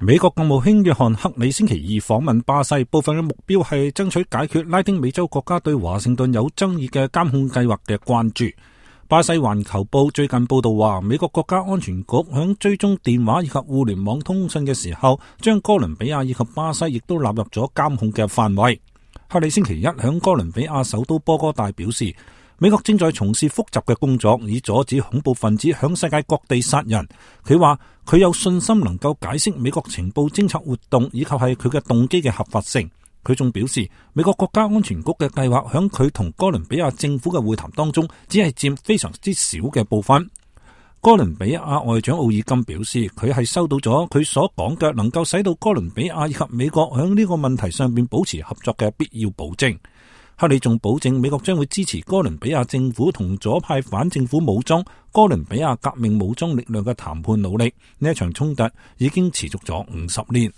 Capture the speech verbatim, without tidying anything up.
美國國務卿約翰克里星期二訪問巴西，部分嘅目標係爭取解決拉丁美洲國家對華盛頓有爭議嘅監控計劃嘅關注。巴西環球報最近報道話，美國國家安全局響追蹤電話以及互聯網通訊嘅時候，將哥倫比亞以及巴西亦都納入咗監控嘅範圍。克里星期一響哥倫比亞首都波哥大表示，美國正在從事複雜嘅工作，以阻止恐怖分子響世界各地殺人。佢話佢有信心能夠解釋美國情報偵察活動以及係佢嘅動機嘅合法性。佢仲表示，美國國家安全局嘅計劃響佢同哥倫比亞政府嘅會談當中，只係佔非常之少嘅部分。哥倫比亞外長奧爾金表示，佢係收到咗佢所講嘅能夠使到哥倫比亞以及美國響呢個問題上邊保持合作嘅必要保證。克里仲保證美國將會支持哥倫比亞政府同左派反政府武裝哥倫比亞革命武裝力量嘅談判努力。呢一場衝突已經持續咗五十年。